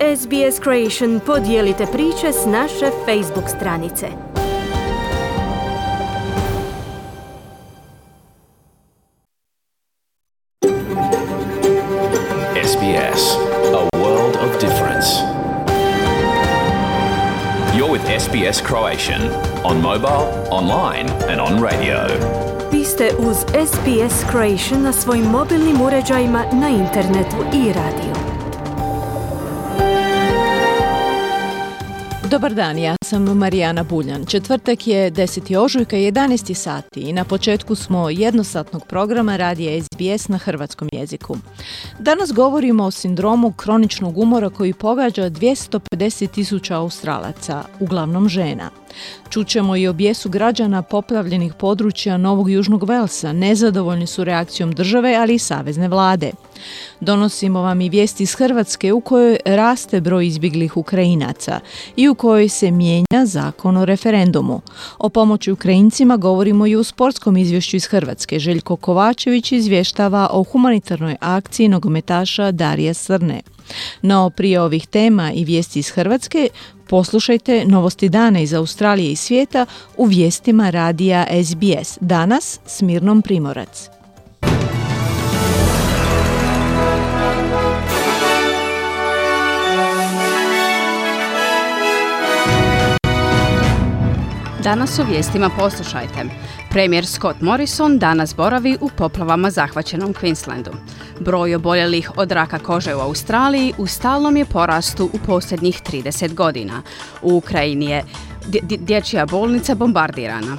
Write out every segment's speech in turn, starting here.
SBS Creation podijelite priče s naše Facebook stranice. SBS, a world of difference. You're with SBS Croatian on mobile, online and on radio. Vi ste uz SBS Creation na svojim mobilnim uređajima, na internetu i radiju. Dobar dan, ja sam Marijana Buljan. Četvrtak je 10. ožujka, 11. sati i na početku smo jednosatnog programa radija SBS na hrvatskom jeziku. Danas govorimo o sindromu kroničnog umora koji pogađa 250.000 Australaca, uglavnom žena. Čućemo i o bijesu građana poplavljenih područja Novog Južnog Velsa, nezadovoljni su reakcijom države, ali i savezne vlade. Donosimo vam i vijesti iz Hrvatske u kojoj raste broj izbjeglih Ukrajinaca i u kojoj se mijenja zakon o referendumu. O pomoći Ukrajincima govorimo i u sportskom izvješću iz Hrvatske. Željko Kovačević izvještava o humanitarnoj akciji nogometaša Darija Srne. No prije ovih tema i vijesti iz Hrvatske, poslušajte novosti dana iz Australije i svijeta u vijestima radija SBS. Danas s Mirnom Primorac. Danas u vijestima poslušajte. Premijer Scott Morrison danas boravi u poplavama zahvaćenom Queenslandu. Broj oboljelih od raka kože u Australiji u stalnom je porastu u posljednjih 30 godina. U Ukrajini je dječja bolnica bombardirana.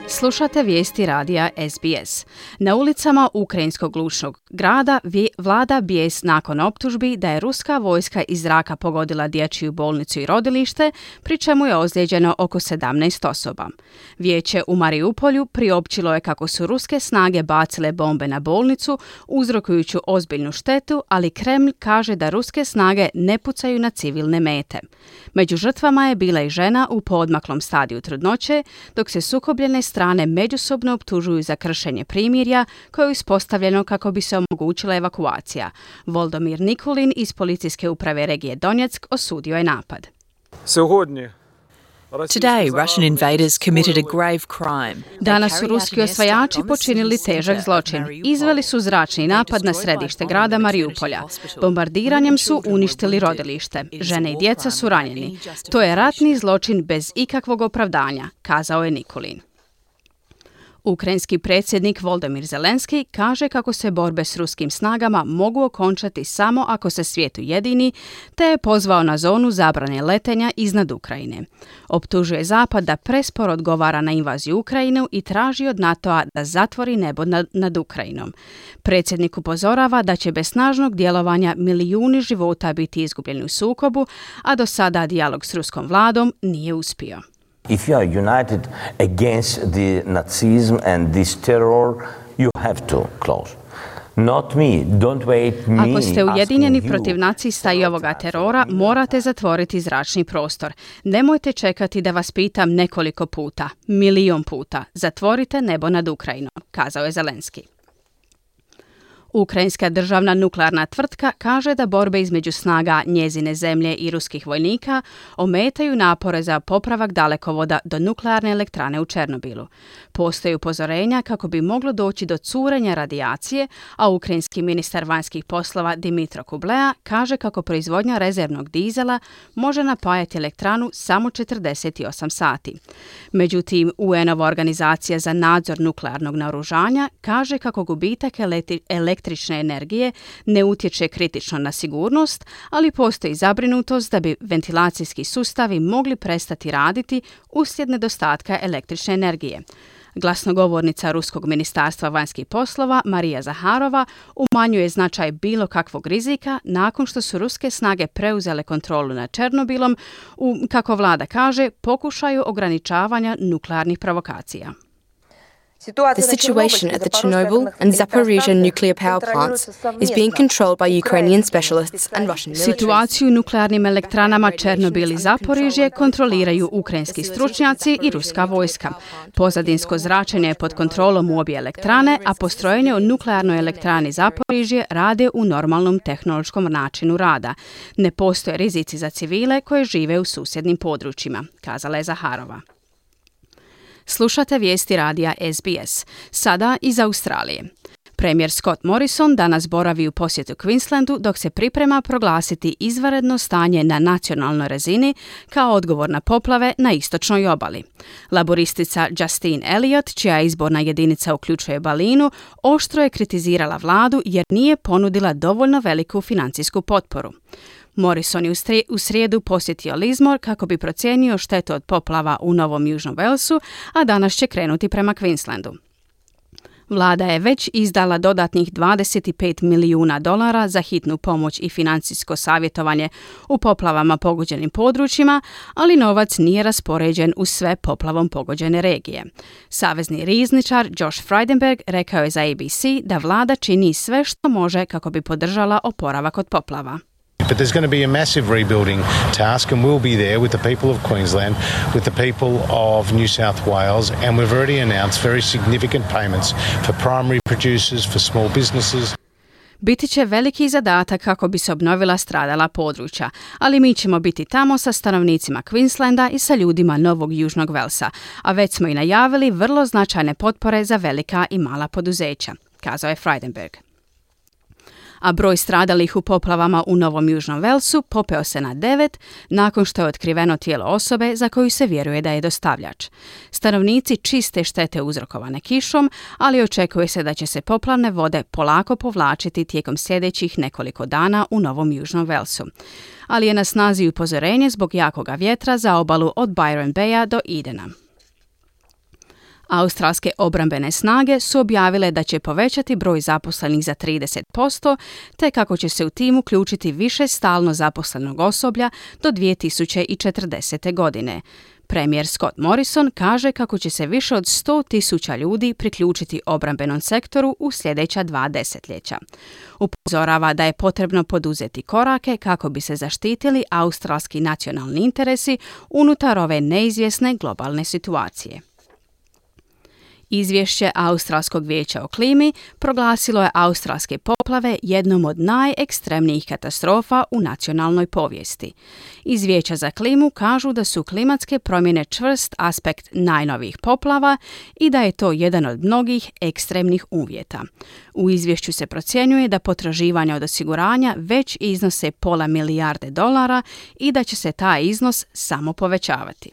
Slušate vijesti radija SBS. Na ulicama ukrajinskog glušnog grada vlada bijes nakon optužbi da je ruska vojska iz zraka pogodila dječju bolnicu i rodilište, pri čemu je ozlijeđeno oko 17 osoba. Vijeće u Mariupolju priopćilo je kako su ruske snage bacile bombe na bolnicu, uzrokujući ozbiljnu štetu, ali Kremlj kaže da ruske snage ne pucaju na civilne mete. Među žrtvama je bila i žena u poodmaklom stadiju trudnoće, dok se sukobljene strane međusobno optužuju za kršenje primirja koje je uspostavljeno kako bi se omogućila evakuacija. Volodymyr Nikulin iz policijske uprave regije Donjeck osudio je napad. Today, Russian invaders committed a grave crime. Danas su ruski osvajači počinili težak zločin. Izveli su zračni napad na središte grada Mariupolja. Bombardiranjem su uništili rodilište. Žene i djeca su ranjeni. To je ratni zločin bez ikakvog opravdanja, kazao je Nikulin. Ukrajinski predsjednik Volodymyr Zelenski kaže kako se borbe s ruskim snagama mogu okončati samo ako se svijet ujedini, te je pozvao na zonu zabrane letenja iznad Ukrajine. Optužuje Zapad da presporo odgovara na invaziju Ukrajinu i traži od NATO-a da zatvori nebo nad Ukrajinom. Predsjednik upozorava da će bez snažnog djelovanja milijuni života biti izgubljeni u sukobu, a do sada dijalog s ruskom vladom nije uspio. If you are united against the Nazism and this terror, you have to close. Not me. Don't wait me. Ako ste ujedinjeni protiv nacista i ovoga terora, morate zatvoriti zračni prostor. Nemojte čekati da vas pitam nekoliko puta, 1.000.000 puta. Zatvorite nebo nad Ukrajinom, kazao je Zelenski. Ukrajinska državna nuklearna tvrtka kaže da borbe između snaga njezine zemlje i ruskih vojnika ometaju napore za popravak dalekovoda do nuklearne elektrane u Černobilu. Postoje upozorenja kako bi moglo doći do curenja radijacije, a ukrajinski ministar vanjskih poslova Dmitro Kuleba kaže kako proizvodnja rezervnog dizela može napajati elektranu samo 48 sati. Međutim, UN-ova organizacija za nadzor nuklearnog naoružanja kaže kako gubitak električne energije ne utječe kritično na sigurnost, ali postoji zabrinutost da bi ventilacijski sustavi mogli prestati raditi uslijed nedostatka električne energije. Glasnogovornica Ruskog ministarstva vanjskih poslova Marija Zaharova umanjuje značaj bilo kakvog rizika nakon što su ruske snage preuzele kontrolu nad Černobilom u, kako vlada kaže, pokušaju ograničavanja nuklearnih provokacija. The situation at the Chernobyl and Zaporizhzhia nuclear power plants is being controlled by Ukrainian specialists and Russian militaries. Situaciju u nuklearnim elektranama Černobil i Zaporižje kontroliraju ukrajinski stručnjaci i ruska vojska. Pozadinsko zračenje je pod kontrolom u obje elektrane, a postrojenje u nuklearnoj elektrani Zaporižje rade u normalnom tehnološkom načinu rada. Ne postoje rizici za civile koje žive u susjednim područjima, kazala je Zaharova. Slušate vijesti radija SBS, sada iz Australije. Premijer Scott Morrison danas boravi u posjetu Queenslandu dok se priprema proglasiti izvanredno stanje na nacionalnoj razini kao odgovor na poplave na istočnoj obali. Laboristica Justine Elliott, čija izborna jedinica uključuje Balinu, oštro je kritizirala vladu jer nije ponudila dovoljno veliku financijsku potporu. Morrison je u srijedu posjetio Lismore kako bi procijenio štetu od poplava u Novom Južnom Walesu, a danas će krenuti prema Queenslandu. Vlada je već izdala dodatnih $25 milijuna za hitnu pomoć i financijsko savjetovanje u poplavama pogođenim područjima, ali novac nije raspoređen u sve poplavom pogođene regije. Savezni rizničar Josh Frydenberg rekao je za ABC da vlada čini sve što može kako bi podržala oporavak od poplava. But there's going to be a massive rebuilding task, and we'll be there with the people of Queensland, with the people of New South Wales, and we've already announced very significant payments for primary producers, for small businesses. Biti će veliki zadatak kako bi se obnovila stradala područja, ali mi ćemo biti tamo sa stanovnicima Queenslanda i sa ljudima Novog Južnog Velsa, a već smo i najavili vrlo značajne potpore za velika i mala poduzeća, kazao je Frydenberg. A broj stradalih u poplavama u Novom Južnom Velsu popeo se na 9 nakon što je otkriveno tijelo osobe za koju se vjeruje da je dostavljač. Stanovnici čiste štete uzrokovane kišom, ali očekuje se da će se poplavne vode polako povlačiti tijekom sljedećih nekoliko dana u Novom Južnom Velsu. Ali je na snazi upozorenje zbog jakoga vjetra za obalu od Byron Baya do Edena. Australske obrambene snage su objavile da će povećati broj zaposlenih za 30%, te kako će se u tim uključiti više stalno zaposlenog osoblja do 2040. godine. Premijer Scott Morrison kaže kako će se više od 100,000 ljudi priključiti obrambenom sektoru u sljedeća 2 desetljeća. Upozorava da je potrebno poduzeti korake kako bi se zaštitili australski nacionalni interesi unutar ove neizvjesne globalne situacije. Izvješće Australskog vijeća o klimi proglasilo je australske poplave jednom od najekstremnijih katastrofa u nacionalnoj povijesti. Iz Vijeća za klimu kažu da su klimatske promjene čvrst aspekt najnovijih poplava i da je to jedan od mnogih ekstremnih uvjeta. U izvješću se procjenjuje da potraživanja od osiguranja već iznose $500 milijarde i da će se taj iznos samo povećavati.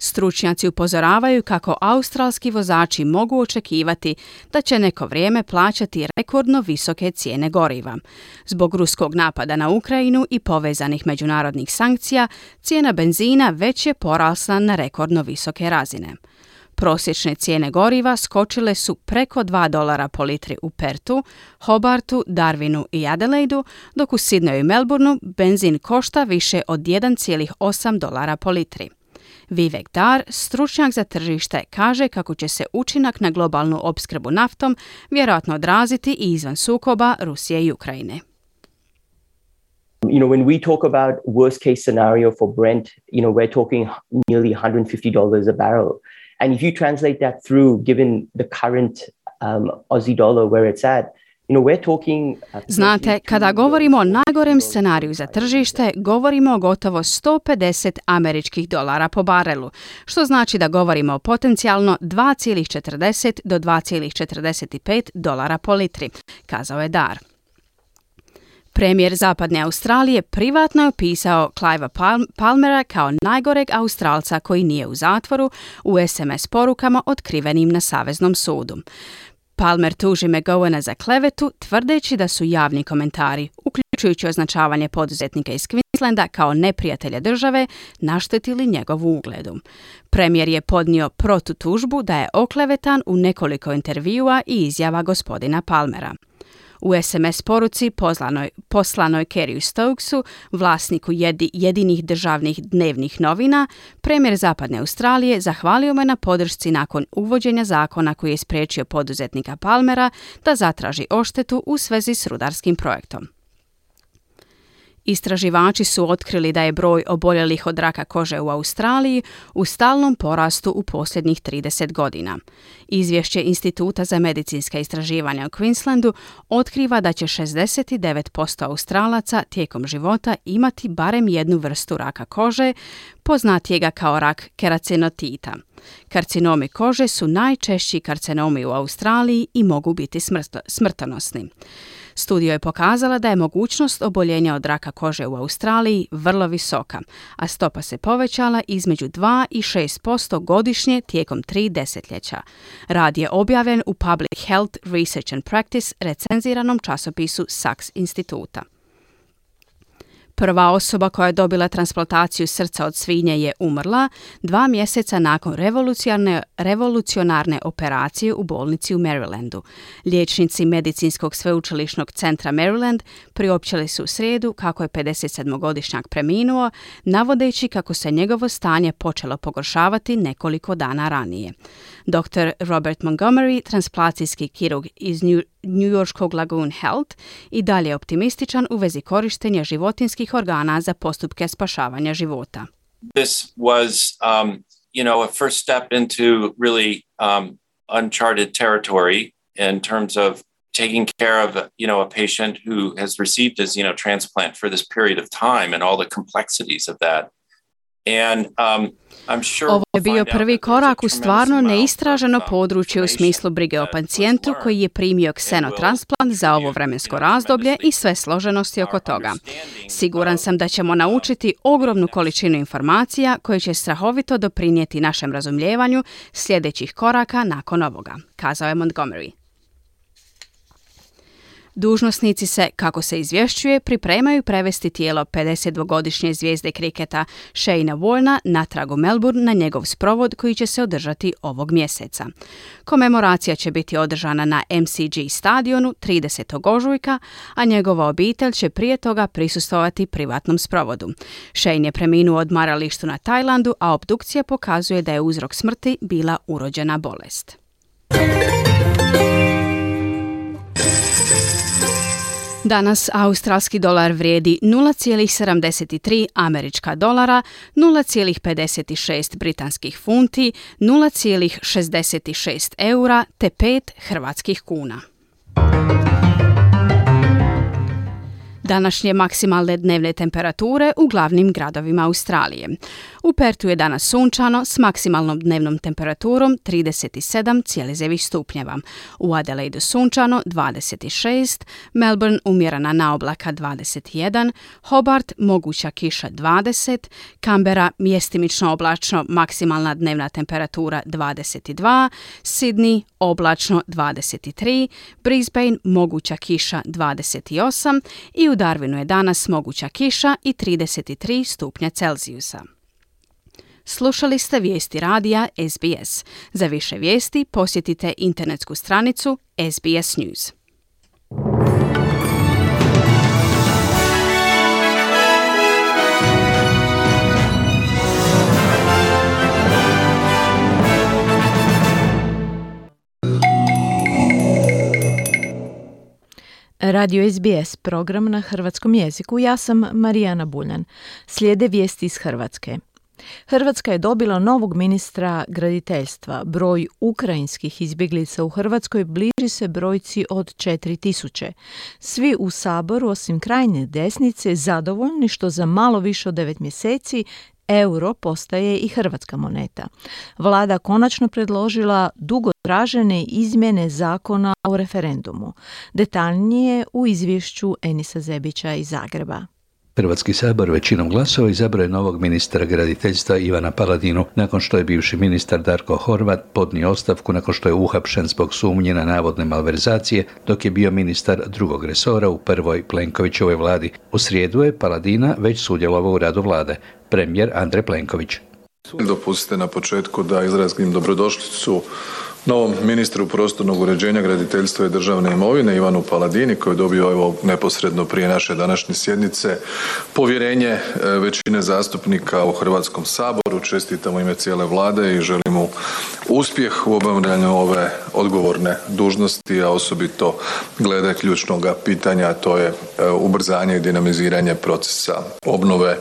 Stručnjaci upozoravaju kako australski vozači mogu očekivati da će neko vrijeme plaćati rekordno visoke cijene goriva. Zbog ruskog napada na Ukrajinu i povezanih međunarodnih sankcija, cijena benzina već je porasla na rekordno visoke razine. Prosječne cijene goriva skočile su preko $2 po litri u Pertu, Hobartu, Darwinu i Adelaidu, dok u Sydneyu i Melbourneu benzin košta više od $1,8 po litri. Vivek Dar, stručnjak za tržište, kaže kako će se učinak na globalnu opskrbu naftom vjerojatno odraziti i izvan sukoba Rusije i Ukrajine. When we talk about worst case scenario for Brent, we're talking nearly $150 a barrel. And if you translate that through, given the current Aussie dollar where it's at, Znate, kada govorimo o najgorem scenariju za tržište, govorimo o gotovo $150 po barelu, što znači da govorimo o potencijalno $2,40 do $2,45 po litri, kazao je Dar. Premijer Zapadne Australije privatno je opisao Cliva Palmera kao najgoreg Australca koji nije u zatvoru u SMS porukama otkrivenim na Saveznom sudu. Palmer tuži McGowana za klevetu, tvrdeći da su javni komentari, uključujući označavanje poduzetnika iz Queenslanda kao neprijatelja države, naštetili njegovu ugledu. Premijer je podnio protutužbu da je oklevetan u nekoliko intervjua i izjava gospodina Palmera. U SMS poruci poslanoj Kerryu Stokesu, vlasniku jedinih državnih dnevnih novina, premijer Zapadne Australije zahvalio me na podršci nakon uvođenja zakona koji je spriječio poduzetnika Palmera da zatraži odštetu u svezi s rudarskim projektom. Istraživači su otkrili da je broj oboljelih od raka kože u Australiji u stalnom porastu u posljednjih 30 godina. Izvješće Instituta za medicinska istraživanja u Queenslandu otkriva da će 69% Australaca tijekom života imati barem jednu vrstu raka kože, poznatijega kao rak keracinotita. Karcinomi kože su najčešći karcinomi u Australiji i mogu biti smrtonosni. Studija je pokazala da je mogućnost oboljenja od raka kože u Australiji vrlo visoka, a stopa se povećala između 2 i 6% godišnje tijekom 3 desetljeća. Rad je objavljen u Public Health Research and Practice recenziranom časopisu Saks instituta. Prva osoba koja je dobila transplantaciju srca od svinje je umrla 2 mjeseca nakon revolucionarne operacije u bolnici u Marylandu. Liječnici Medicinskog sveučilišnog centra Maryland priopćili su u srijedu kako je 57-godišnjak preminuo, navodeći kako se njegovo stanje počelo pogoršavati nekoliko dana ranije. Dr. Robert Montgomery, transplantacijski kirurg iz Newyorskog Lagoon Health, i dalje je optimističan u vezi korištenja životinskih organa za postupke spašavanja života. This was, a first step into really uncharted territory in terms of taking care of, a patient who has received his, transplant for this period of time and all the complexities of that. Ovo je bio prvi korak u stvarno neistraženo područje u smislu brige o pacijentu koji je primio ksenotransplant za ovo vremensko razdoblje i sve složenosti oko toga. Siguran sam da ćemo naučiti ogromnu količinu informacija koje će strahovito doprinijeti našem razumijevanju sljedećih koraka nakon ovoga, kazao je Montgomery. Dužnosnici se, kako se izvješćuje, pripremaju prevesti tijelo 52-godišnje zvijezde kriketa Shayna Warna natrag u Melbourne na njegov sprovod koji će se održati ovog mjeseca. Komemoracija će biti održana na MCG stadionu 30. ožujka, a njegova obitelj će prije toga prisustvovati privatnom sprovodu. Shane je preminuo u odmaralištu na Tajlandu, a obdukcija pokazuje da je uzrok smrti bila urođena bolest. Danas australski dolar vrijedi 0,73 američka dolara, 0,56 britanskih funti, 0,66 eura te 5 hrvatskih kuna. Današnje maksimalne dnevne temperature u glavnim gradovima Australije. U Pertu je danas sunčano s maksimalnom dnevnom temperaturom 37,0 stupnjeva. U Adelaidu sunčano 26, Melbourne umjerena naoblaka 21, Hobart moguća kiša 20, Canberra mjestimično oblačno maksimalna dnevna temperatura 22, Sydney oblačno 23, Brisbane moguća kiša 28 i u Darwinu je danas moguća kiša i 33 stupnja Celzijusa. Slušali ste vijesti radija SBS. Za više vijesti posjetite internetsku stranicu SBS News. Radio SBS, program na hrvatskom jeziku. Ja sam Marijana Buljan. Slijede vijesti iz Hrvatske. Hrvatska je dobila novog ministra graditeljstva. Broj ukrajinskih izbjeglica u Hrvatskoj bliži se brojci od 4000. Svi u Saboru, osim krajnje desnice, zadovoljni što za malo više od 9 mjeseci euro postaje i hrvatska moneta. Vlada konačno predložila dugo tražene izmjene zakona o referendumu. Detaljnije u izvješću Enisa Zebića iz Zagreba. Hrvatski sabor većinom glasova izabrao je novog ministra graditeljstva Ivana Paladinu nakon što je bivši ministar Darko Horvat podnio ostavku nakon što je uhapšen zbog sumnje na navodne malverzacije dok je bio ministar drugog resora u prvoj Plenkovićevoj vladi. U srijedu je Paladina već sudjelovao u radu vlade. Premijer Andrej Plenković. Dopustite na početku da izrazim dobrodošlicu novom ministru prostornog uređenja, graditeljstva i državne imovine Ivanu Paladini koji je dobio evo neposredno prije naše današnje sjednice povjerenje većine zastupnika u Hrvatskom saboru. Čestitam u ime cijele Vlade i želim mu uspjeh u obavljanju ove odgovorne dužnosti, a osobito glede ključnog pitanja, a to je ubrzanje i dinamiziranje procesa obnove.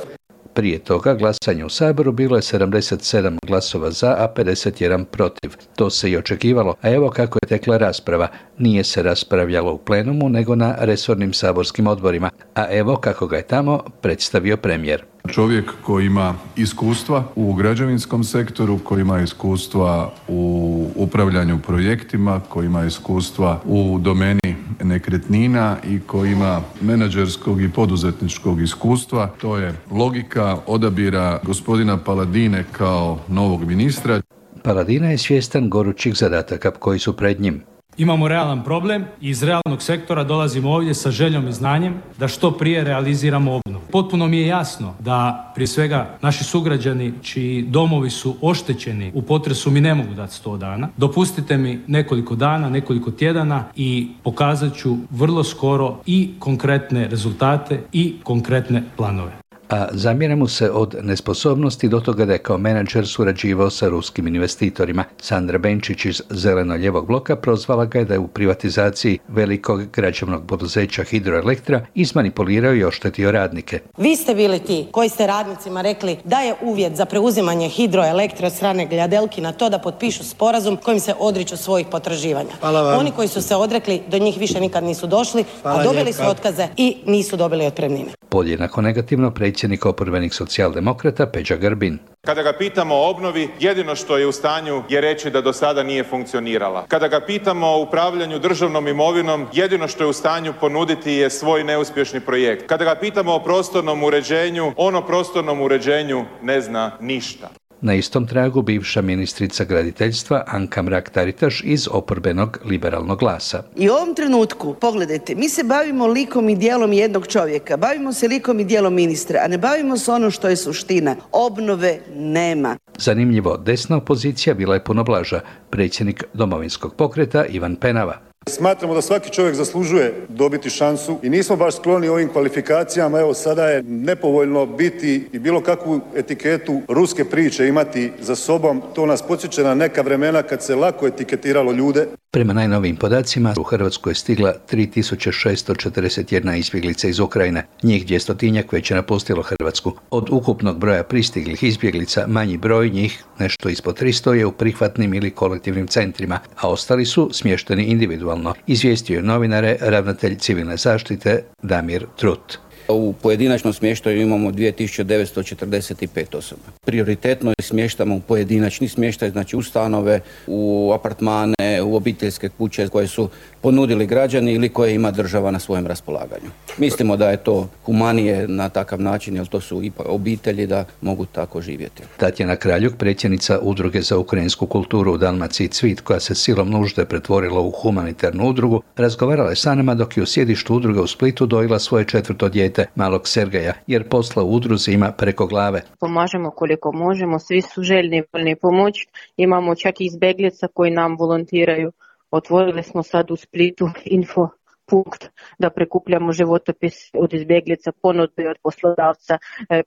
Prije toga glasanje u Saboru bilo je 77 glasova za, a 51 protiv. To se i očekivalo, a evo kako je tekla rasprava. Nije se raspravljalo u plenumu, nego na resornim saborskim odborima. A evo kako ga je tamo predstavio premijer. Čovjek koji ima iskustva u građevinskom sektoru, koji ima iskustva u upravljanju projektima, koji ima iskustva u domeni nekretnina i koji ima menadžerskog i poduzetničkog iskustva. To je logika odabira gospodina Paladine kao novog ministra. Paladina je svjestan gorućih zadataka koji su pred njim. Imamo realan problem i iz realnog sektora dolazimo ovdje sa željom i znanjem da što prije realiziramo obnovu. Potpuno mi je jasno da prije svega naši sugrađani čiji domovi su oštećeni u potresu mi ne mogu dati 100 dana. Dopustite mi nekoliko dana, nekoliko tjedana i pokazat ću vrlo skoro i konkretne rezultate i konkretne planove. A zamjera mu se od nesposobnosti do toga da je kao menadžer surađivao sa ruskim investitorima. Sandra Benčić iz Zeleno-ljevog bloka prozvala ga je da je u privatizaciji velikog građevnog poduzeća Hidroelektra izmanipulirao i oštetio radnike. Vi ste bili ti koji ste radnicima rekli da je uvjet za preuzimanje Hidroelektra od strane Gljadelki na to da potpišu sporazum kojim se odriču svojih potraživanja. Oni koji su se odrekli do njih više nikad nisu došli, a dobili su otkaze i nisu dobili otpremnine. Podjednako negativno predsjednik oporbenih socijaldemokrata Peđa Grbin. Kada ga pitamo o obnovi, jedino što je u stanju je reći da do sada nije funkcionirala. Kada ga pitamo o upravljanju državnom imovinom, jedino što je u stanju ponuditi je svoj neuspješni projekt. Kada ga pitamo o prostornom uređenju, on o prostornom uređenju ne zna ništa. Na istom tragu bivša ministrica graditeljstva Anka Mrak-Taritaš iz oporbenog Liberalnog glasa. I u ovom trenutku, pogledajte, mi se bavimo likom i dijelom jednog čovjeka, bavimo se likom i dijelom ministra, a ne bavimo se ono što je suština. Obnove nema. Zanimljivo, desna opozicija bila je puno blaža. Predsjednik Domovinskog pokreta Ivan Penava. Smatramo da svaki čovjek zaslužuje dobiti šansu i nismo baš skloni ovim kvalifikacijama. Evo sada je nepovoljno biti i bilo kakvu etiketu ruske priče imati za sobom. To nas podsjeća na neka vremena kad se lako etiketiralo ljude. Prema najnovijim podacima u Hrvatsku je stigla 3641 izbjeglica iz Ukrajine. Njih 200-tinjak već je napustilo Hrvatsku. Od ukupnog broja pristiglih izbjeglica manji broj njih, nešto ispod 300, je u prihvatnim ili kolektivnim centrima, a ostali su smješteni individualno, izvijestio je novinare ravnatelj civilne zaštite Damir Trut. U pojedinačnom smještaju imamo 2945 osoba. Prioritetno smještamo u pojedinačni smještaj, znači u stanove, u apartmane, u obiteljske kuće koje su ponudili građani ili koje ima država na svojem raspolaganju. Mislimo da je to humanije na takav način, jer to su ipak obitelji da mogu tako živjeti. Tatjana Kraljuk, predsjednica Udruge za ukrajinsku kulturu u Dalmaciji Cvit, koja se silom nužde pretvorila u humanitarnu udrugu, razgovarala je sa nama dok je u sjedištu udruge u Splitu dojila svoje 4. dijete, malog Sergeja, jer posla u udruzi ima preko glave. Pomažemo koliko možemo, svi su željni pomoći. Imamo čak i izbjeglica koji nam volontiraju. Otvorili smo sad u Splitu info punkt da prikupljamo životopis od izbjeglica, ponude od poslodavca,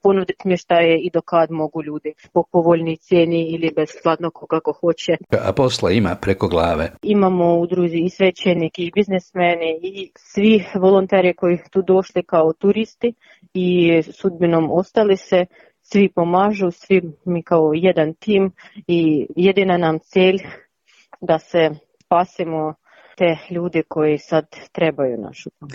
ponuditi smještaje i do kad mogu ljudi po povoljnoj cijeni ili besplatno kako hoće. A posla ima preko glave. Imamo u udruzi i svećenike i biznesmeni i svi volonteri koji tu došli kao turisti i sudbinom ostali se. Svi pomažu, svi mi kao jedan tim i jedina nam cilj da se spasimo te ljude koji sad trebaju našu pomoć.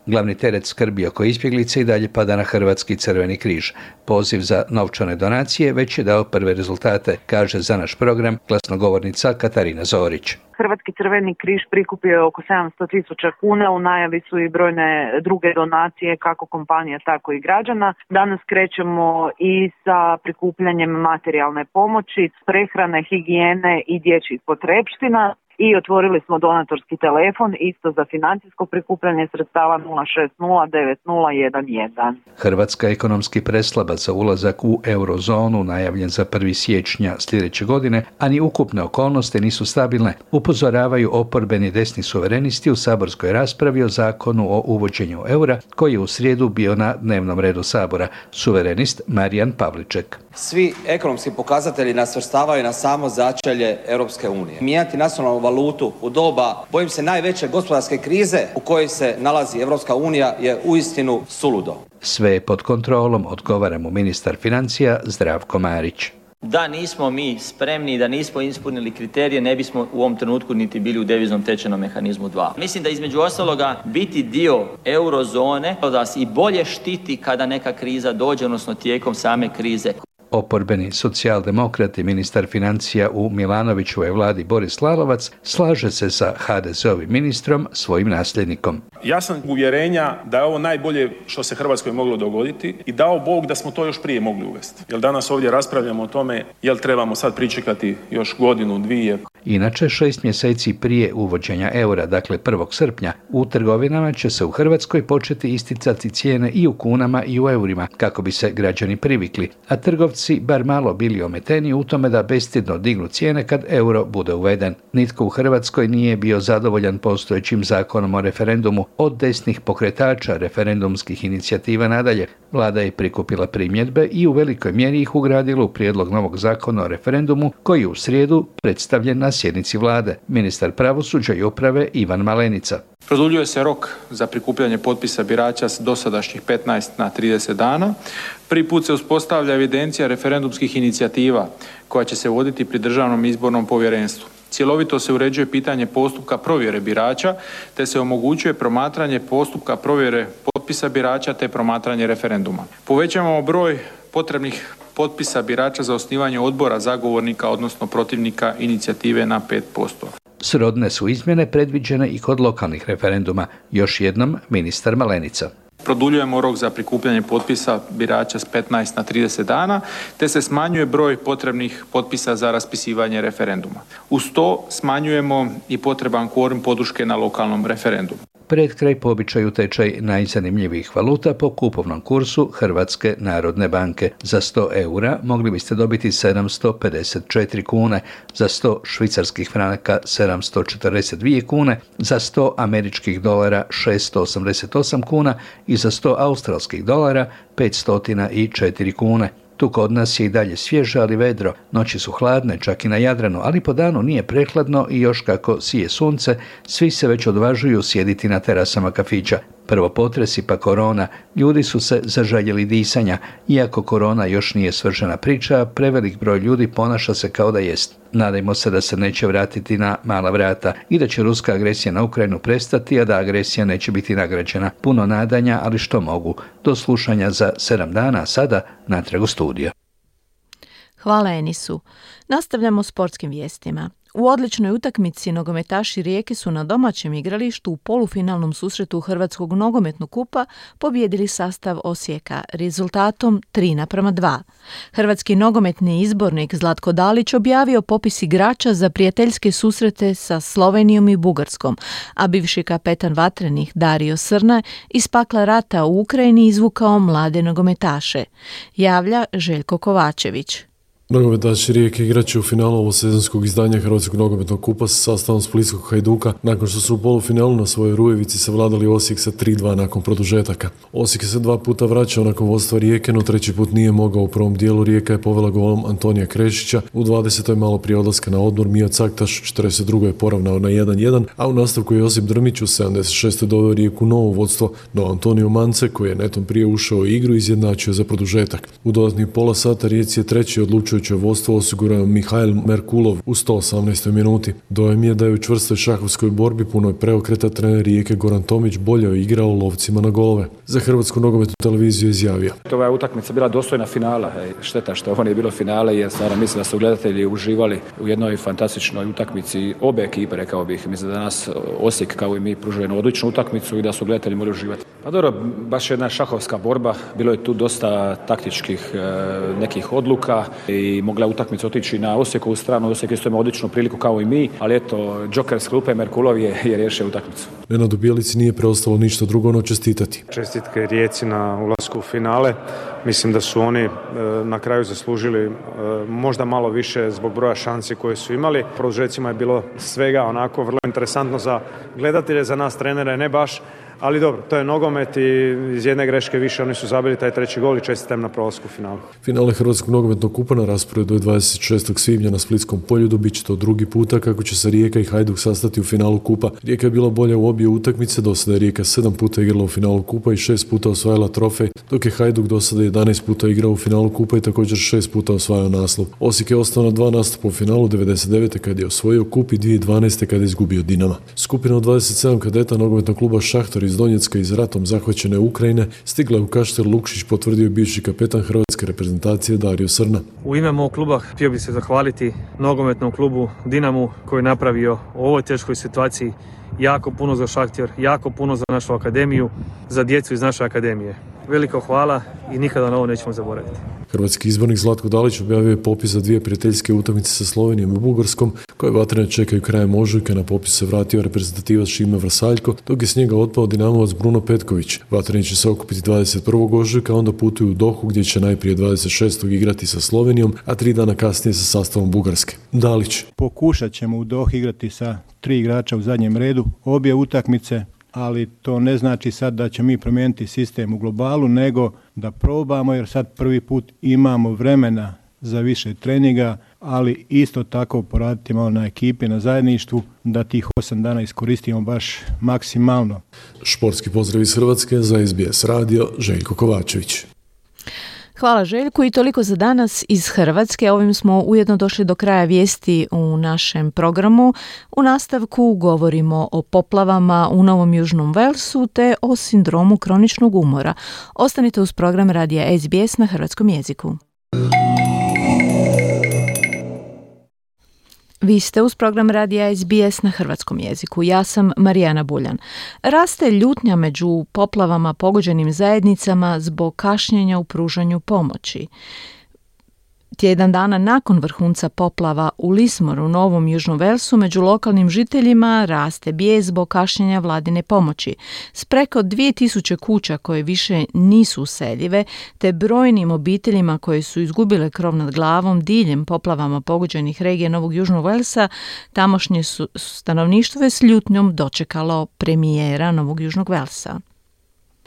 Glavni teret skrbi oko izbjeglice i dalje pada na Hrvatski crveni križ. Poziv za novčane donacije već je dao prve rezultate, kaže za naš program glasnogovornica Katarina Zorić. Hrvatski crveni križ prikupio je oko 700.000 kuna, u najavi su i brojne druge donacije kako kompanija tako i građana. Danas krećemo i sa prikupljanjem materijalne pomoći, prehrane, higijene i dječjih potrepština. i otvorili smo donatorski telefon isto za financijsko prikupljanje sredstava 0609011. Hrvatska je ekonomski preslaba za ulazak u eurozonu, najavljen za 1. siječnja sljedeće godine, a ni ukupne okolnosti nisu stabilne, upozoravaju oporbeni desni suverenisti u saborskoj raspravi o zakonu o uvođenju eura, koji je u srijedu bio na dnevnom redu Sabora. Suverenist Marijan Pavliček. Svi ekonomski pokazatelji nas svrstavaju na samo začelje Europske unije. Mijenjati nacionalnu valutu u doba, bojim se, najveće gospodarske krize u kojoj se nalazi Europska unija je uistinu suludo. Sve je pod kontrolom, odgovara mu ministar financija Zdravko Marić. Da nismo mi spremni, da nismo ispunili kriterije, ne bismo u ovom trenutku niti bili u deviznom tečajnom mehanizmu 2. Mislim da između ostaloga biti dio eurozone da nas i bolje štiti kada neka kriza dođe, odnosno tijekom same krize. Oporbeni socijaldemokrat i ministar financija u Milanovićevoj vladi Boris Lalovac slaže se sa HDZ-ovim ministrom, svojim nasljednikom. Ja sam uvjerenja da je ovo najbolje što se Hrvatskoj moglo dogoditi i dao Bog da smo to još prije mogli uvesti. Jer danas ovdje raspravljamo o tome jel trebamo sad pričekati još godinu, dvije. Inače, 6 mjeseci prije uvođenja eura, dakle 1. srpnja, u trgovinama će se u Hrvatskoj početi isticati cijene i u kunama i u eurima, kako bi se građani privikli, a trgovci bar malo bili ometeni u tome da bestidno dignu cijene kad euro bude uveden. Nitko u Hrvatskoj nije bio zadovoljan postojećim zakonom o referendumu, od desnih pokretača referendumskih inicijativa nadalje. Vlada je prikupila primjedbe i u velikoj mjeri ih ugradila u prijedlog novog zakona o referendumu, koji je u srijedu predstavljen na sjednici vlade. Ministar pravosuđa i uprave Ivan Malenica. Produljuje se rok za prikupljanje potpisa birača s dosadašnjih 15 na 30 dana. Prvi put se uspostavlja evidencija referendumskih inicijativa koja će se voditi pri Državnom izbornom povjerenstvu. Cjelovito se uređuje pitanje postupka provjere birača, te se omogućuje promatranje postupka provjere potpisa birača te promatranje referenduma. Povećavamo broj potrebnih potpisa birača za osnivanje odbora zagovornika, odnosno protivnika inicijative na 5%. Srodne su izmjene predviđene i kod lokalnih referenduma. Još jednom ministar Malenica. Produljujemo rok za prikupljanje potpisa birača s 15 na 30 dana, te se smanjuje broj potrebnih potpisa za raspisivanje referenduma. Uz to smanjujemo i potreban kvorum podrške na lokalnom referendumu. Pred kraj po običaju tečaj najzanimljivijih valuta po kupovnom kursu Hrvatske narodne banke. Za 100 eura mogli biste dobiti 754 kune, za 100 švicarskih franaka 742 kune, za 100 američkih dolara 688 kuna i za 100 australskih dolara 504 kune. Tu kod nas je i dalje svježe, ali vedro. Noći su hladne, čak i na Jadranu, ali po danu nije prehladno i još kako sije sunce, svi se već odvažuju sjediti na terasama kafića. Prvo potresi pa korona, ljudi su se zaželjeli disanja. Iako korona još nije svršena priča, prevelik broj ljudi ponaša se kao da jest. Nadajmo se da se neće vratiti na mala vrata i da će ruska agresija na Ukrajinu prestati, a da agresija neće biti nagrađena. Puno nadanja, ali što mogu. Do slušanja za 7 dana, sada natrag u studio. Hvala Enisu. Nastavljamo sportskim vijestima. U odličnoj utakmici nogometaši Rijeke su na domaćem igralištu u polufinalnom susretu Hrvatskog nogometnog kupa pobijedili sastav Osijeka rezultatom 3:2. Hrvatski nogometni izbornik Zlatko Dalić objavio popis igrača za prijateljske susrete sa Slovenijom i Bugarskom, a bivši kapetan Vatrenih Dario Srna iz pakla rata u Ukrajini izvukao mlade nogometaše. Javlja Željko Kovačević. Nogometaši Rijeke igraće u finalu ovosezonskog izdanja Hrvatskog nogometnog kupa sa sastavom Splitskog Hajduka nakon što su u polufinalu na svojoj Rujevici savladali Osijek sa 3:2 nakon produžetaka. Osijek se 2 puta vraćao nakon vodstva Rijeke, no 3. put nije mogao. U prvom dijelu Rijeka je povela golom Antonija Krešića, u 20. malo prije odlaska na odmor Mio Caktaš, u 42. je poravnao na 1:1, a u nastavku je Josip Drmić u 76. doveo Rijeku novo vodstvo, no Antonio Mance, koji je netom prije ušao u igru, izjednačio za produžetak. U dodatnih pola sata Rijeci je treći odlučujući vodstvo osigurao Mihajl Merkulov u 118. minuti. Dojam je da je u čvrstoj šahovskoj borbi punoj preokreta trener Rijeke Goran Tomić bolje igrao lovcima na golove. Za Hrvatsku nogometnu televiziju izjavio: Ova je utakmica bila dostojna finala. Šteta što ovo nije bilo finale, jer stvarno mislim da su gledatelji uživali u jednoj fantastičnoj utakmici obe ekipe, rekao bih. Mislim da danas Osijek kao i mi pružuje jednu odličnu utakmicu i da su gledatelji mogli uživati. Pa dobro, baš jedna šahovska borba, bilo je tu dosta taktičkih nekih odluka i i mogla utakmica otići na Osijekovu stranu. Osijek isto ima odličnu priliku kao i mi, ali eto, Joker s klupe Merkulov je riješio utakmicu. Nenadu Bjelici nije preostalo ništa drugo no čestitati. Čestitke Rijeci na ulasku u finale. Mislim da su oni na kraju zaslužili možda malo više zbog broja šansi koje su imali. U produžecima je bilo svega onako vrlo interesantno za gledatelje, za nas trenere ne baš. Ali dobro, to je nogomet i iz jedne greške više oni su zabili taj treći gol i čestitam na prolasku u finalu. Finale Hrvatskog nogometnog kupa na rasporedu je 26. svibnja na Splitskom poljudu. Biće to drugi puta kako će se Rijeka i Hajduk sastati u finalu kupa. Rijeka je bila bolja u obje utakmice, do sada je Rijeka 7 puta igrala u finalu kupa i 6 puta osvajala trofej, dok je Hajduk do sada 11 puta igrao u finalu kupa i također 6 puta osvajao naslov. Osijek je ostao na 2 nastupa u finalu, 99. kad je osvojio kup i 2012. kad je izgubio Dinama. Skupina od 27 kadeta nogometnog kluba Šahtar iz Donjecka iz ratom zahvaćene Ukrajine stigla je u Kaštel Lukšić, potvrdio je bivši kapetan hrvatske reprezentacije Dario Srna. U ime mog kluba htio bih se zahvaliti nogometnom klubu Dinamu koji je napravio u ovoj teškoj situaciji jako puno za Šahtar, jako puno za našu akademiju, za djecu iz naše akademije. Veliko hvala i nikada na ovo nećemo zaboraviti. Hrvatski izbornik Zlatko Dalić objavio je popis za 2 prijateljske utakmice sa Slovenijom i Bugarskom, koje vatrene čekaju krajem ožujka. Na popis se vratio reprezentativac Šime Vrsaljko, dok je s njega otpao Dinamovac Bruno Petković. Vatreni će se okupiti 21. ožujka, onda putuju u Dohu gdje će najprije 26. igrati sa Slovenijom, a 3 dana kasnije sa sastavom Bugarske. Dalić. Pokušat ćemo u Dohu igrati sa 3 igrača u zadnjem redu, obje utakmice, ali to ne znači sad da ćemo mi promijeniti sistem u globalu, nego da probamo, jer sad prvi put imamo vremena za više treninga, ali isto tako poraditi malo na ekipi, na zajedništvu, da tih 8 dana iskoristimo baš maksimalno. Športski pozdrav iz Hrvatske za SBS radio, Željko Kovačević. Hvala Željku i toliko za danas iz Hrvatske. Ovim smo ujedno došli do kraja vijesti u našem programu. U nastavku govorimo o poplavama u Novom Južnom Velsu te o sindromu kroničnog umora. Ostanite uz program radija SBS na hrvatskom jeziku. Vi ste uz program radija SBS na hrvatskom jeziku. Ja sam Marijana Buljan. Raste ljutnja među poplavama pogođenim zajednicama zbog kašnjenja u pružanju pomoći. Tjedan dana nakon vrhunca poplava u Lismoru, Novom Južnom Velsu, među lokalnim žiteljima raste bijes zbog kašnjenja vladine pomoći. S preko 2000 kuća koje više nisu useljive, te brojnim obiteljima koje su izgubile krov nad glavom diljem poplavama pogođenih regija Novog Južnog Velsa, tamošnje stanovništvo je s ljutnjom dočekalo premijera Novog Južnog Velsa.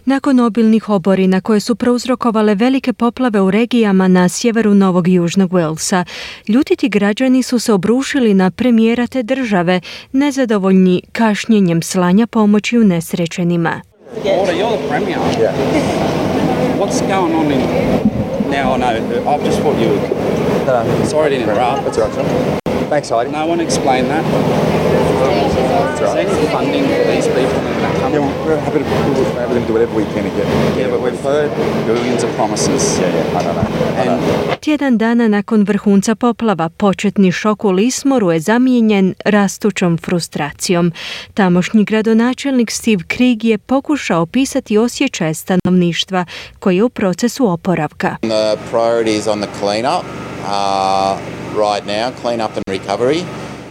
Nakon obilnih oborina koje su prouzrokovale velike poplave u regijama na sjeveru Novog Južnog Velsa, ljutiti građani su se obrušili na premijera te države, nezadovoljni kašnjenjem slanja pomoći unesrećenima. Order, you're the premier. Yeah. What's going on in now? I know. I've just thought you. Sorry to interrupt. That's all right. Thanks, Heidi. No, I want to explain that. Is there any funding for these people in that country? Yeah, we're happy to do whatever we can to get. Yeah, but we've heard billions of promises. Yeah, I don't know. Tjedan dana nakon vrhunca poplava, početni šok u Lismoru je zamijenjen rastućom frustracijom. Tamošnji gradonačelnik Steve Krieg je pokušao opisati osjećaj stanovništva koji je u procesu oporavka. The priorities on the clean-up right now, clean-up and recovery.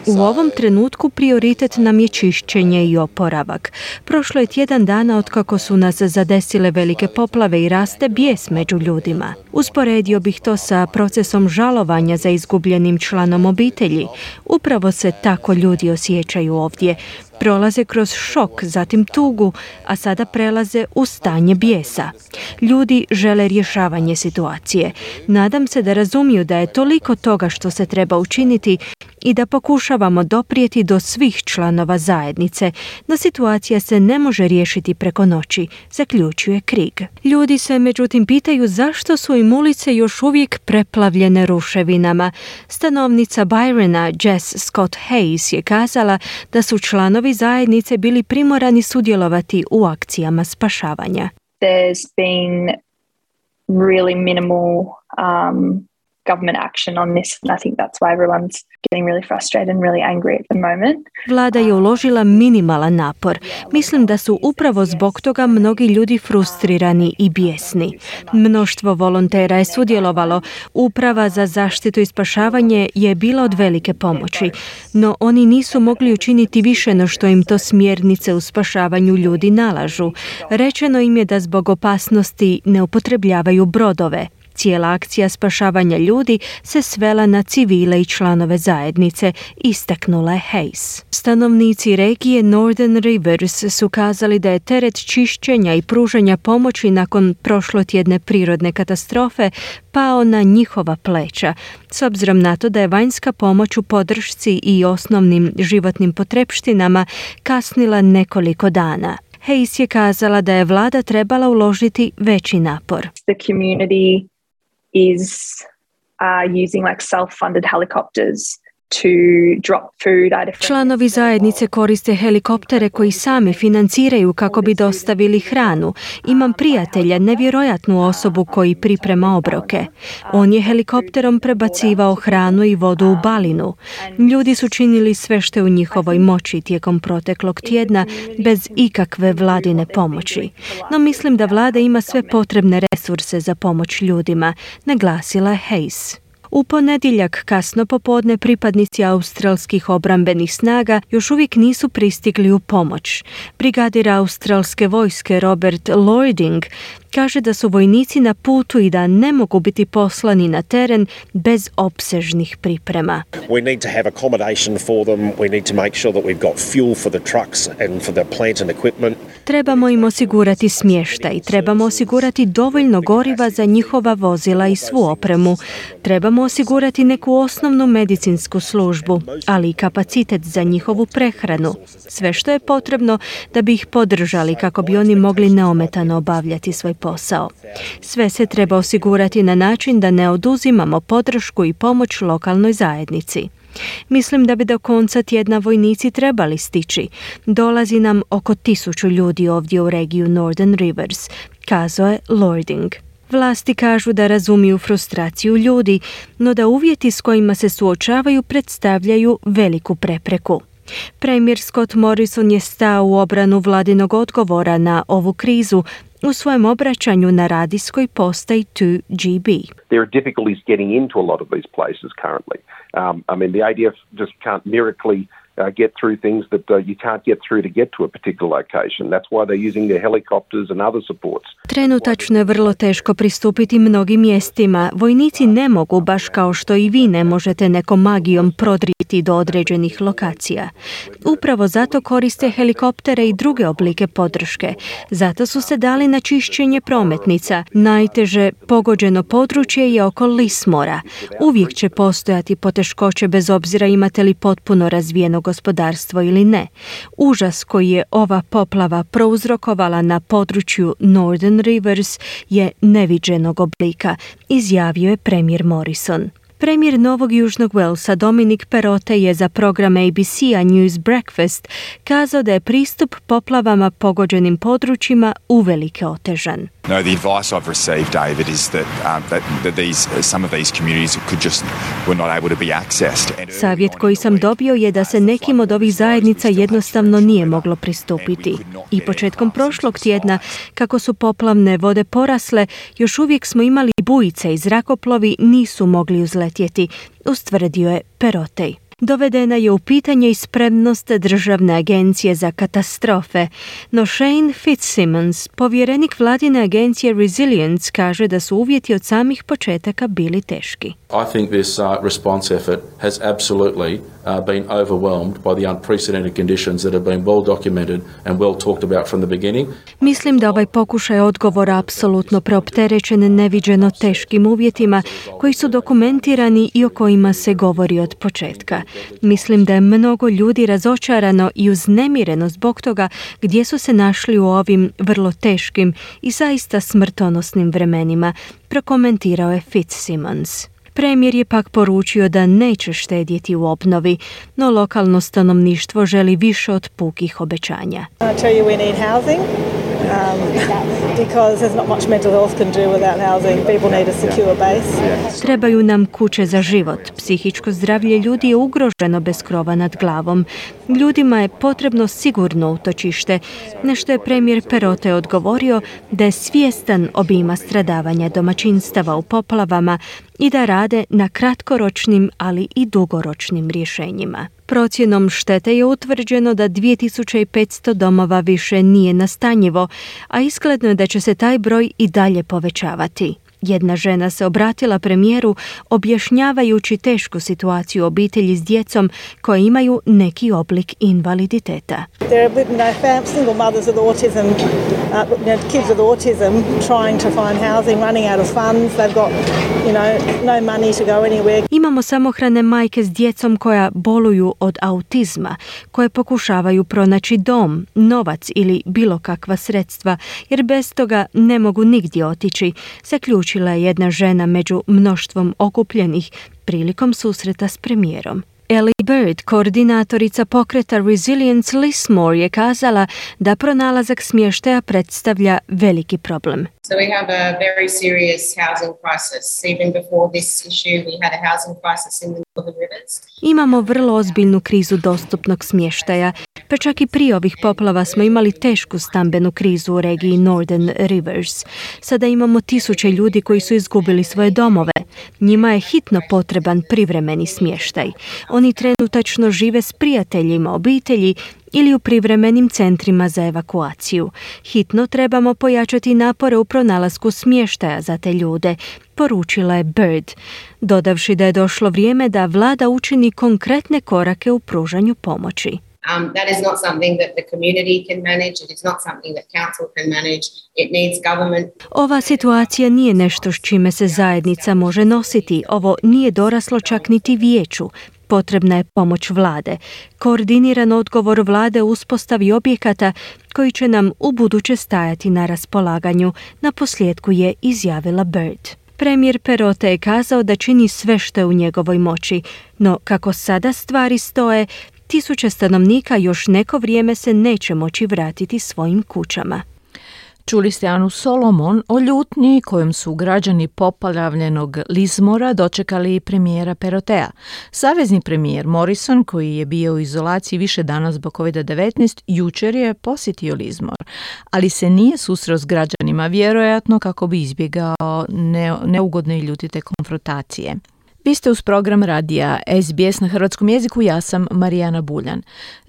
U ovom trenutku prioritet nam je čišćenje i oporavak. Prošlo je tjedan dana otkako su nas zadesile velike poplave i raste bijes među ljudima. Usporedio bih to sa procesom žalovanja za izgubljenim članom obitelji. Upravo se tako ljudi osjećaju ovdje. Prolaze kroz šok, zatim tugu, a sada prelaze u stanje bijesa. Ljudi žele rješavanje situacije. Nadam se da razumiju da je toliko toga što se treba učiniti i da pokušavamo doprijeti do svih članova zajednice, no situacija se ne može riješiti preko noći, zaključuje Krieg. Ljudi se međutim pitaju zašto su im ulice još uvijek preplavljene ruševinama. Stanovnica Byrona, Jess Scott Hayes, je kazala da su članovi zajednice bili primorani sudjelovati u akcijama spašavanja. There's been really minimal government action on this, and I think that's why everyone's getting really frustrated and really angry at the moment. Vlada je uložila minimalan napor. Mislim da su upravo zbog toga mnogi ljudi frustrirani i bijesni. Mnoštvo volontera je sudjelovalo. Uprava za zaštitu i spašavanje je bila od velike pomoći, no oni nisu mogli učiniti više no što im to smjernice u spašavanju ljudi nalažu. Rečeno im je da zbog opasnosti ne upotrebljavaju brodove. Cijela akcija spašavanja ljudi se svela na civile i članove zajednice, istaknula je Hayes. Stanovnici regije Northern Rivers su kazali da je teret čišćenja i pružanja pomoći nakon prošlotjedne prirodne katastrofe pao na njihova pleća, s obzirom na to da je vanjska pomoć u podršci i osnovnim životnim potrepštinama kasnila nekoliko dana. Hayes je kazala da je vlada trebala uložiti veći napor. The community is using like self-funded helicopters to drop food at different... Članovi zajednice koriste helikoptere koji sami financiraju kako bi dostavili hranu. Imam prijatelja, nevjerojatnu osobu koji priprema obroke. On je helikopterom prebacivao hranu i vodu u Balinu. Ljudi su činili sve što je u njihovoj moći tijekom proteklog tjedna bez ikakve vladine pomoći. No mislim da vlada ima sve potrebne resurse za pomoć ljudima, naglasila je Hayes. U ponedjeljak kasno popodne pripadnici australskih obrambenih snaga još uvijek nisu pristigli u pomoć. Brigadir australske vojske Robert Loyding kaže da su vojnici na putu i da ne mogu biti poslani na teren bez opsežnih priprema. We need to have accommodation for them. We need to make sure that we've got fuel for the trucks and for the plant and equipment. Trebamo im osigurati smještaj, trebamo osigurati dovoljno goriva za njihova vozila i svu opremu. Trebamo osigurati neku osnovnu medicinsku službu, ali i kapacitet za njihovu prehranu. Sve što je potrebno da bi ih podržali kako bi oni mogli neometano obavljati svoj posao. Sve se treba osigurati na način da ne oduzimamo podršku i pomoć lokalnoj zajednici. Mislim da bi do konca tjedna vojnici trebali stići. Dolazi nam oko 1000 ljudi ovdje u regiju Northern Rivers, kazao je Loyding. Vlasti kažu da razumiju frustraciju ljudi, no da uvjeti s kojima se suočavaju predstavljaju veliku prepreku. Premijer Scott Morrison je stao u obranu vladinog odgovora na ovu krizu u svojem obraćanju na radijskoj postaji 2GB. There are difficulties getting into a lot of these places currently. The ADF just can't miraculously get through things that you can't get through to get to a particular location. That's why they're using their helicopters and other supports. Trenutačno je vrlo teško pristupiti mnogim mjestima. Vojnici ne mogu, baš kao što i vi ne možete nekom magijom prodrijeti do određenih lokacija. Upravo zato koriste helikoptere i druge oblike podrške. Zato su se dali na čišćenje prometnica. Najteže pogođeno područje je oko Lismora. Uvijek će postojati poteškoće bez obzira imate li potpuno razvijeno gospodarstvo ili ne. Užas koji je ova poplava prouzrokovala na području Northern Rivers je neviđenog oblika, izjavio je premijer Morrison. Premijer Novog Južnog Walesa Dominic Perrottet je za program ABC-a News Breakfast kazao da je pristup poplavama pogođenim područjima uvelike otežan. No, the advice I've received, David, is that some of these communities were not able to be accessed. Savjet koji sam dobio je da se nekim od ovih zajednica jednostavno nije moglo pristupiti. I početkom prošlog tjedna, kako su poplavne vode porasle, još uvijek smo imali bujice i zrakoplovi nisu mogli uzletjeti, ustvrdio je Perrottet. Dovedena je u pitanje i spremnost Državne agencije za katastrofe, no Shane Fitzsimmons, povjerenik vladine agencije Resilience, kaže da su uvjeti od samih početaka bili teški. I think this response effort has absolutely been overwhelmed by the unprecedented conditions that have been well documented and well talked about from the beginning. Mislim da ovaj pokušaj odgovora apsolutno preopterećen neviđeno teškim uvjetima koji su dokumentirani i o kojima se govori od početka. Mislim da je mnogo ljudi razočarano i uznemireno zbog toga gdje su se našli u ovim vrlo teškim i zaista smrtonosnim vremenima, prokomentirao je Fitzsimmons. Premijer je pak poručio da neće štedjeti u obnovi, no lokalno stanovništvo želi više od pukih obećanja. I tell you we need housing. because there's not much mental health can do without housing. People need a secure base. Trebaju nam kuće za život. Psihičko zdravlje ljudi je ugroženo bez krova nad glavom. Ljudima je potrebno sigurno utočište, na što je premijer Perote odgovorio da je svjestan obima stradavanja domaćinstava u poplavama i da rade na kratkoročnim, ali i dugoročnim rješenjima. Procjenom štete je utvrđeno da 2500 domova više nije nastanjivo, a izgledno je da će se taj broj i dalje povećavati. Jedna žena se obratila premijeru objašnjavajući tešku situaciju obitelji s djecom koje imaju neki oblik invaliditeta. There are single mothers with autism, kids with autism trying to find housing, running out of funds. They've got, no money to go anywhere. Imamo samohrane majke s djecom koja boluju od autizma, koje pokušavaju pronaći dom, novac ili bilo kakva sredstva, jer bez toga ne mogu nigdje otići, zaključila je jedna žena među mnoštvom okupljenih prilikom susreta s premijerom. Ellie Bird, koordinatorica pokreta Resilience Lismore, je kazala da pronalazak smještaja predstavlja veliki problem. So we have a very serious housing crisis. Even before this issue, we had a housing crisis in the Northern Rivers. Imamo vrlo ozbiljnu krizu dostupnog smještaja. Pa čak i prije ovih poplava smo imali tešku stambenu krizu u regiji Northern Rivers. Sada imamo tisuće ljudi koji su izgubili svoje domove. Njima je hitno potreban privremeni smještaj. Oni trenutačno žive s prijateljima, obitelji ili u privremenim centrima za evakuaciju. Hitno trebamo pojačati napore u pronalasku smještaja za te ljude, poručila je Bird, dodavši da je došlo vrijeme da vlada učini konkretne korake u pružanju pomoći. That is not something that the community can manage. It is not something that council can manage. It needs government. Ova situacija nije nešto s čime se zajednica može nositi. Ovo nije doraslo čak niti vijeću. Potrebna je pomoć vlade. Koordiniran odgovor vlade u uspostavi objekata koji će nam ubuduće stajati na raspolaganju, na posljedku je izjavila Bird. Premijer Perote je kazao da čini sve što je u njegovoj moći, no kako sada stvari stoje, tisuće stanovnika još neko vrijeme se neće moći vratiti svojim kućama. Čuli ste Anu Solomon o ljutnji kojom su građani poplavljenog Lismora dočekali premijera Perotea. Savezni premijer Morrison, koji je bio u izolaciji više dana zbog COVID-19, jučer je posjetio Lismor, ali se nije susreo s građanima, vjerojatno kako bi izbjegao neugodne i ljutite konfrontacije. Vi ste uz program radija SBS na hrvatskom jeziku, ja sam Marijana Buljan.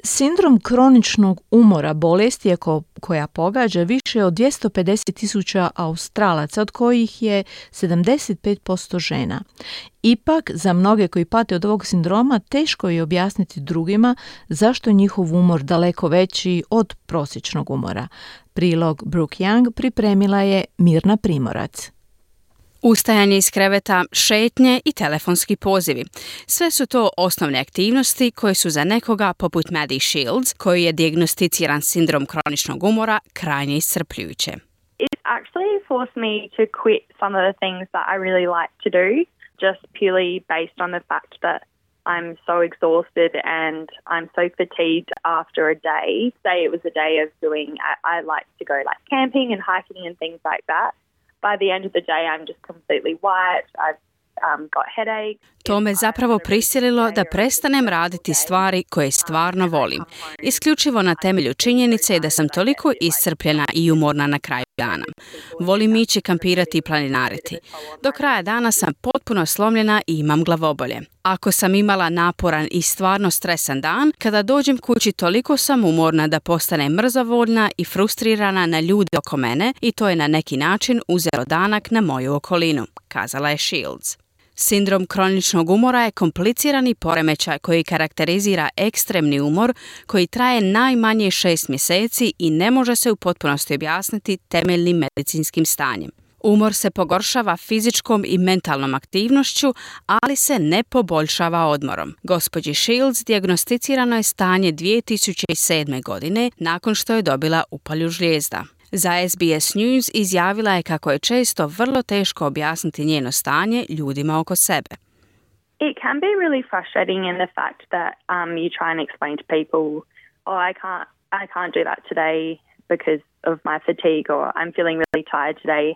Sindrom kroničnog umora bolesti je koja pogađa više od 250.000 Australaca, od kojih je 75% žena. Ipak, za mnoge koji pate od ovog sindroma, teško je objasniti drugima zašto je njihov umor daleko veći od prosječnog umora. Prilog Brooke Young pripremila je Mirna Primorac. Ustajanje iz kreveta, šetnje i telefonski pozivi. Sve su to osnovne aktivnosti koje su za nekoga poput Maddie Shields, koji je dijagnosticiran sindrom kroničnog umora, krajnje iscrpljujuće. It actually forced me to quit some of the things that I really like to do, just purely based on the fact that I'm so exhausted and I'm so fatigued after a day. Say it was a day of doing, I like to go like camping and hiking and things like that. By the end of the day, I'm just completely white. I've got headaches. To me zapravo prisililo da prestanem raditi stvari koje stvarno volim. Isključivo na temelju činjenice da sam toliko iscrpljena i umorna na kraju dana. Volim ići kampirati i planinariti. Do kraja dana sam potpuno slomljena i imam glavobolje. Ako sam imala naporan i stvarno stresan dan, kada dođem kući toliko sam umorna da postanem mrzovoljna i frustrirana na ljude oko mene i to je na neki način uzelo danak na moju okolinu, kazala je Shields. Sindrom kroničnog umora je komplicirani poremećaj koji karakterizira ekstremni umor koji traje najmanje 6 mjeseci i ne može se u potpunosti objasniti temeljnim medicinskim stanjem. Umor se pogoršava fizičkom i mentalnom aktivnošću, ali se ne poboljšava odmorom. Gospođi Shields dijagnosticirano je stanje 2007. godine nakon što je dobila upalju žlijezda. Za SBS News izjavila je kako je često vrlo teško objasniti njeno stanje ljudima oko sebe. It can be really frustrating in the fact that you try and explain to people, I can't do that today because of my fatigue, or I'm feeling really tired today.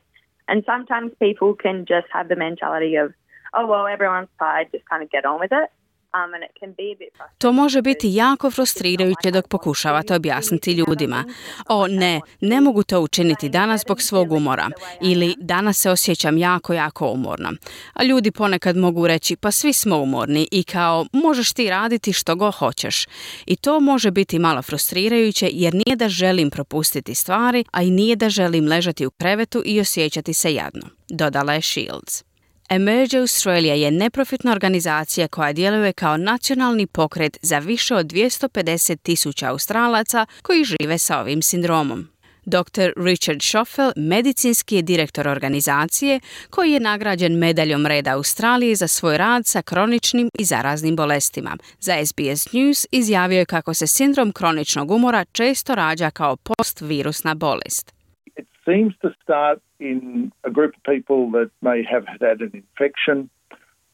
And sometimes people can just have the mentality of, oh, well, everyone's tired, just kind of get on with it. And it can be a bit frustrating. To može biti jako frustrirajuće dok pokušavate objasniti ljudima. O ne, ne mogu to učiniti danas zbog svog umora. Ili danas se osjećam jako umorno. A ljudi ponekad mogu reći pa svi smo umorni i kao možeš ti raditi što god hoćeš. I to može biti malo frustrirajuće jer nije da želim propustiti stvari, a i nije da želim ležati u krevetu i osjećati se jadno, dodala je Shields. Emerge Australia je neprofitna organizacija koja djeluje kao nacionalni pokret za više od 250,000 Australaca koji žive sa ovim sindromom. Dr. Richard Schoffel, medicinski je direktor organizacije koji je nagrađen medaljom reda Australije za svoj rad sa kroničnim i zaraznim bolestima. Za SBS News izjavio je kako se sindrom kroničnog umora često rađa kao postvirusna bolest. It seems to start in a group of people that may have had an infection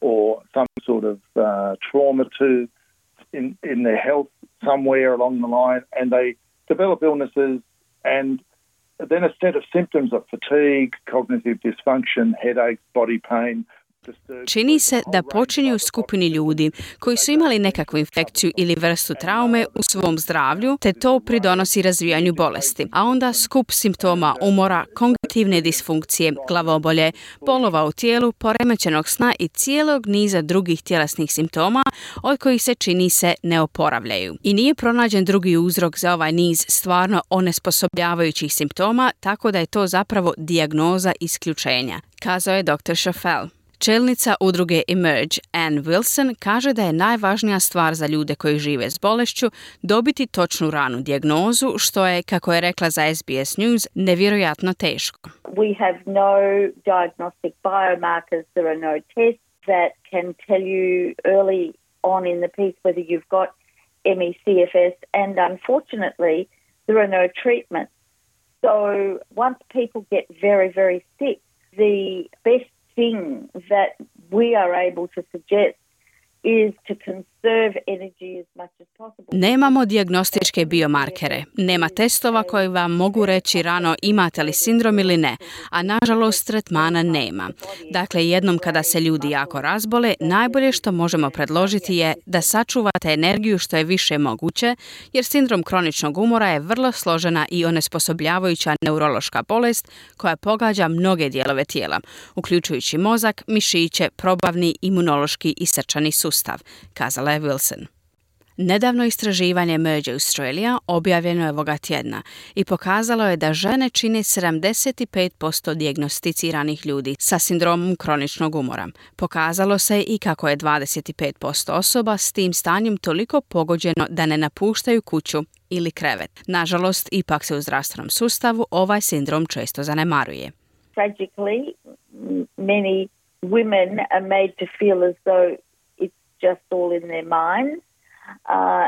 or some sort of trauma in their health somewhere along the line, and they develop illnesses, and then a set of symptoms of fatigue, cognitive dysfunction, headaches, body pain. Čini se da počinju u skupini ljudi koji su imali nekakvu infekciju ili vrstu traume u svom zdravlju, te to pridonosi razvijanju bolesti. A onda skup simptoma umora, kognitivne disfunkcije, glavobolje, bolova u tijelu, poremećenog sna i cijelog niza drugih tjelesnih simptoma od kojih se čini se ne oporavljaju. I nije pronađen drugi uzrok za ovaj niz stvarno onesposobljavajućih simptoma, tako da je to zapravo dijagnoza isključenja, kazao je dr. Schoffel. Čelnica udruge Emerge, Anne Wilson, kaže da je najvažnija stvar za ljude koji žive s bolešću dobiti točnu ranu dijagnozu, što je, kako je rekla za SBS News, nevjerojatno teško. We have no diagnostic biomarkers, there are no tests that can tell you early on in the piece whether you've got ME/CFS, and unfortunately there are no treatments. So once people get very, very sick, the best thing that we are able to suggest is to conserve energy as much as possible. Nemamo dijagnostičke biomarkere, nema testova koji vam mogu reći rano imate li sindrom ili ne, a nažalost tretmana nema. Dakle, jednom kada se ljudi jako razbole, najbolje što možemo predložiti je da sačuvate energiju što je više moguće, jer sindrom kroničnog umora je vrlo složena i onesposobljavajuća neurološka bolest koja pogađa mnoge dijelove tijela, uključujući mozak, mišiće, probavni, imunološki i srčani sustav, kazala je Wilson. Nedavno istraživanje Emerge Australia objavljeno je ovoga tjedna i pokazalo je da žene čine 75% dijagnosticiranih ljudi sa sindromom kroničnog umora. Pokazalo se i kako je 25% osoba s tim stanjem toliko pogođeno da ne napuštaju kuću ili krevet. Nažalost, ipak se u zdravstvenom sustavu ovaj sindrom često zanemaruje. Tragically, many women are made to feel as though just all in their minds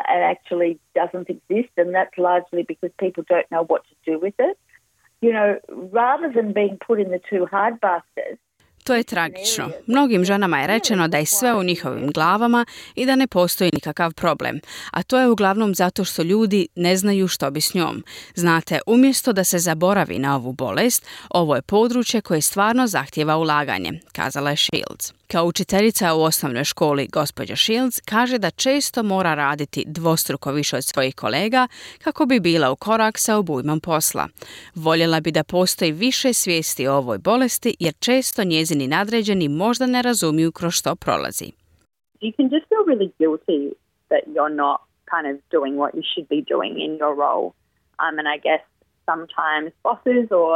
and actually doesn't exist, and that's largely because people don't know what to do with it. You know, rather than being put in the two hard baskets. To je tragično. Mnogim ženama je rečeno da je sve u njihovim glavama i da ne postoji nikakav problem. A to je uglavnom zato što ljudi ne znaju što bi s njom. Znate, umjesto da se zaboravi na ovu bolest, ovo je područje koje stvarno zahtijeva ulaganje, kazala je Shields. Kao učiteljica u osnovnoj školi, gospođa Shields kaže da često mora raditi dvostruko više od svojih kolega kako bi bila u korak sa obujmom posla. Voljela bi da postoji više svijesti o ovoj bolesti jer često njezini nadređeni možda ne razumiju kroz što prolazi. You can just feel really guilty that you're not kind of doing what you should be doing in your role. And I guess sometimes bosses or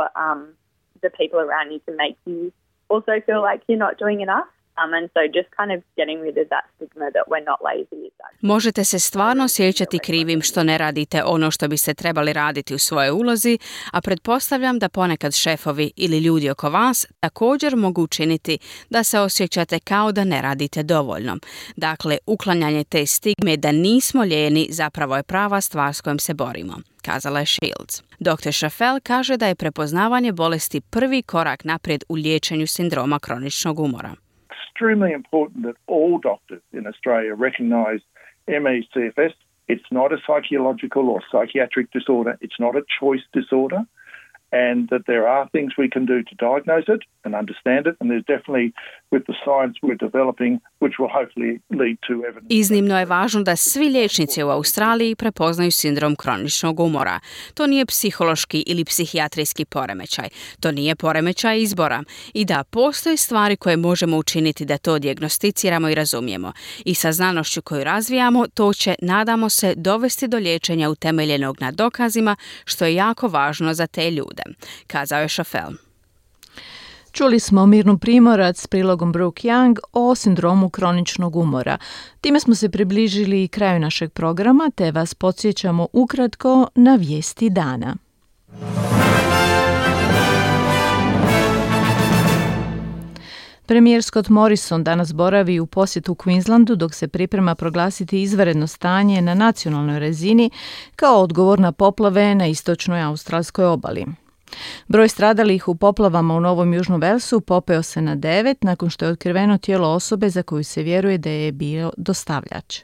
the people around you can make you also feel like you're not doing enough. And so just kind of getting rid of that stigma that we're not lazy is that. Možete se stvarno osjećati krivim što ne radite ono što biste trebali raditi u svojoj ulozi, a pretpostavljam da ponekad šefovi ili ljudi oko vas također mogu učiniti da se osjećate kao da ne radite dovoljno. Dakle, uklanjanje te stigme da nismo lijeni zapravo je prava stvar s kojom se borimo, kazala je Shields. Dr. Schoffel kaže da je prepoznavanje bolesti prvi korak naprijed u liječenju sindroma kroničnog umora. Extremely important that all doctors in Australia recognise ME/CFS It's not a psychological or psychiatric disorder. It's not a choice disorder. And that there are things we can do to diagnose it and understand it. And there's definitely, with the science we're developing, which will hopefully lead to evidence. Iznimno je važno da svi liječnici u Australiji prepoznaju sindrom kroničnog umora. To nije psihološki ili psihijatrijski poremećaj. To nije poremećaj izbora. I da postoje stvari koje možemo učiniti da to dijagnosticiramo i razumijemo. I sa znanošću koju razvijamo, to će, nadamo se, dovesti do liječenja utemeljenog na dokazima, što je jako važno za te ljude, kazao je Šafel. Čuli smo Mirnu Primorac s prilogom Brooke Young o sindromu kroničnog umora. Time smo se približili kraju našeg programa, te vas podsjećamo ukratko na vijesti dana. Premijer Scott Morrison danas boravi u posjetu Queenslandu dok se priprema proglasiti izvanredno stanje na nacionalnoj razini kao odgovor na poplave na istočnoj australskoj obali. Broj stradalih u poplavama u Novom Južnom Velsu popeo se na 9 nakon što je otkriveno tijelo osobe za koju se vjeruje da je bio dostavljač.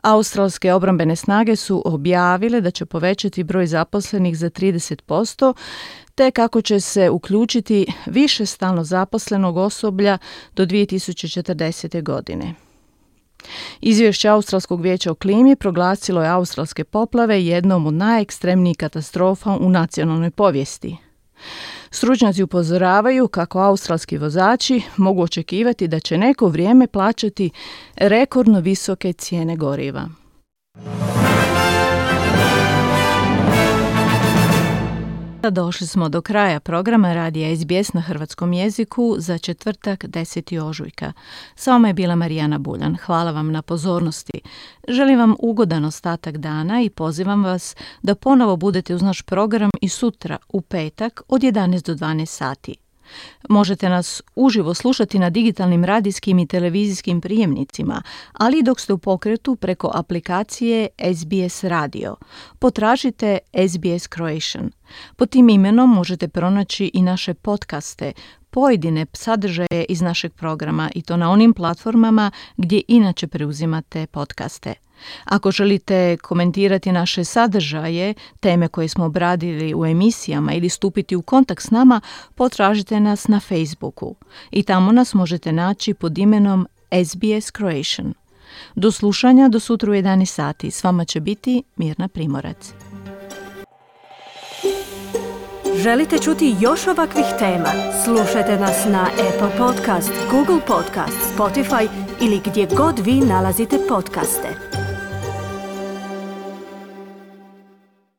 Australske obrambene snage su objavile da će povećati broj zaposlenih za 30%, te kako će se uključiti više stalno zaposlenog osoblja do 2040. godine. Izvješće Australskog vijeća o klimi proglasilo je australske poplave jednom od najekstremnijih katastrofa u nacionalnoj povijesti. Stručnjaci upozoravaju kako australski vozači mogu očekivati da će neko vrijeme plaćati rekordno visoke cijene goriva. Došli smo do kraja programa Radija SBS na hrvatskom jeziku za četvrtak 10. ožujka. S vama je bila Marijana Buljan. Hvala vam na pozornosti. Želim vam ugodan ostatak dana i pozivam vas da ponovo budete uz naš program i sutra u petak od 11 do 12 sati. Možete nas uživo slušati na digitalnim radijskim i televizijskim prijemnicima, ali i dok ste u pokretu preko aplikacije SBS Radio. Potražite SBS Croatian. Pod tim imenom možete pronaći i naše podcaste, pojedine sadržaje iz našeg programa i to na onim platformama gdje inače preuzimate podcaste. Ako želite komentirati naše sadržaje, teme koje smo obradili u emisijama ili stupiti u kontakt s nama, potražite nas na Facebooku i tamo nas možete naći pod imenom SBS Croatian. Do slušanja do sutra u 11 sati. S vama će biti Mirna Primorac. Želite čuti još ovakvih tema? Slušajte nas na Apple Podcast, Google Podcast, Spotify ili gdje god vi nalazite podcaste.